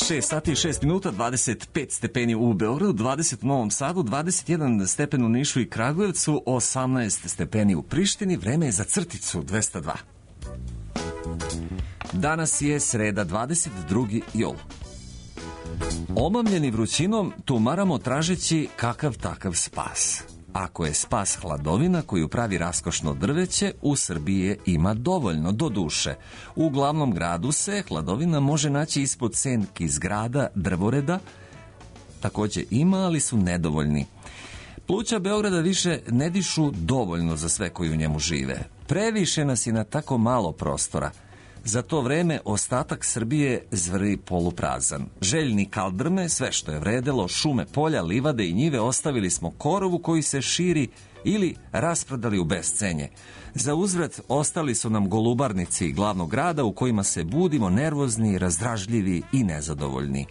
6 sati i 6 minuta, 25 stepeni u Beogradu, 20 u Novom Sadu, 21 stepen u Nišu i Kragujevcu, 18 stepeni u Prištini. Vreme je za crticu 202. Danas je sreda, 22. jul. Omamljeni vrućinom tumaramo tražeći kakav takav spas. Ako je spas hladovina koju pravi raskošno drveće, u Srbiji ima dovoljno, do duše. U glavnom gradu se hladovina može naći ispod senki zgrada drvoreda, također ima, ali su nedovoljni. Pluća Beograda više ne dišu dovoljno za sve koji u njemu žive. Previše nas je na tako malo prostora. Za to vreme ostatak Srbije zvri poluprazan. Željni kaldrme, sve što je vredelo, šume, polja, livade i njive ostavili smo korovu koji se širi ili rasprodali u bescenje. Za uzvrat ostali su nam golubarnici glavnog grada u kojima se budimo nervozni, razdražljivi i nezadovoljni.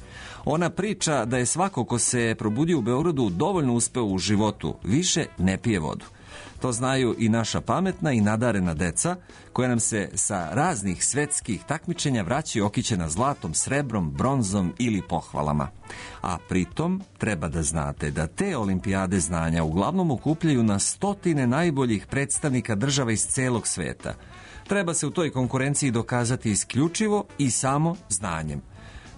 Ona priča da je svako ko se probudio u Beogradu dovoljno uspeo u životu, više ne pije vodu. To znaju i naša pametna i nadarena deca, koja nam se sa raznih svetskih takmičenja vraćaju okićena zlatom, srebrom, bronzom ili pohvalama. A pritom treba da znate da te olimpijade znanja uglavnom okupljaju na stotine najboljih predstavnika država iz celog sveta. Treba se u toj konkurenciji dokazati isključivo i samo znanjem.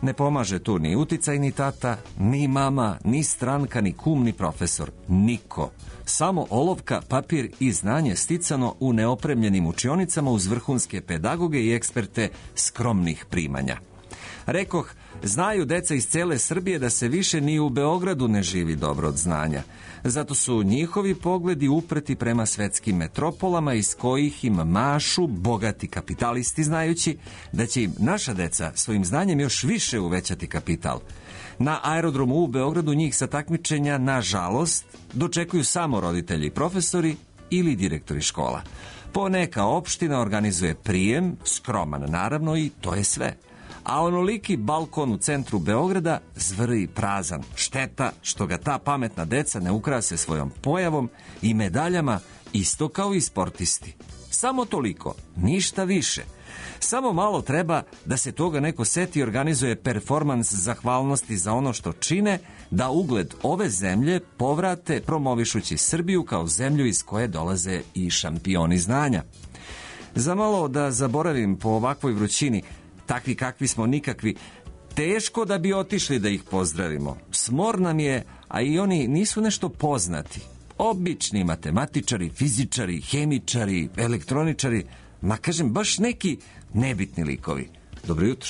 Ne pomaže tu ni uticaj, ni tata, ni mama, ni stranka, ni kum, ni profesor. Niko. Samo olovka, papir i znanje sticano u neopremljenim učionicama uz vrhunske pedagoge i eksperte skromnih primanja. Rekoh, znaju deca iz cele Srbije da se više ni u Beogradu ne živi dobro od znanja. Zato su njihovi pogledi upreti prema svetskim metropolama iz kojih im mašu bogati kapitalisti, znajući da će im naša deca svojim znanjem još više uvećati kapital. Na aerodromu u Beogradu njih sa takmičenja, nažalost, dočekuju samo roditelji i profesori ili direktori škola. Poneka opština organizuje prijem, skroman naravno, i to je sve. A onoliki balkon u centru Beograda zvri prazan. Šteta što ga ta pametna deca ne ukrase svojom pojavom i medaljama, isto kao i sportisti. Samo toliko, ništa više. Samo malo treba da se toga neko seti i organizuje performans zahvalnosti za ono što čine, da ugled ove zemlje povrate promovišući Srbiju kao zemlju iz koje dolaze i šampioni znanja. Za malo da zaboravim po ovakvoj vrućini, takvi kakvi smo nikakvi, teško da bi otišli da ih pozdravimo. Smor nam je, a i oni nisu nešto poznati. Obični matematičari, fizičari, hemičari, elektroničari, ma kažem baš neki nebitni likovi. Dobro jutro.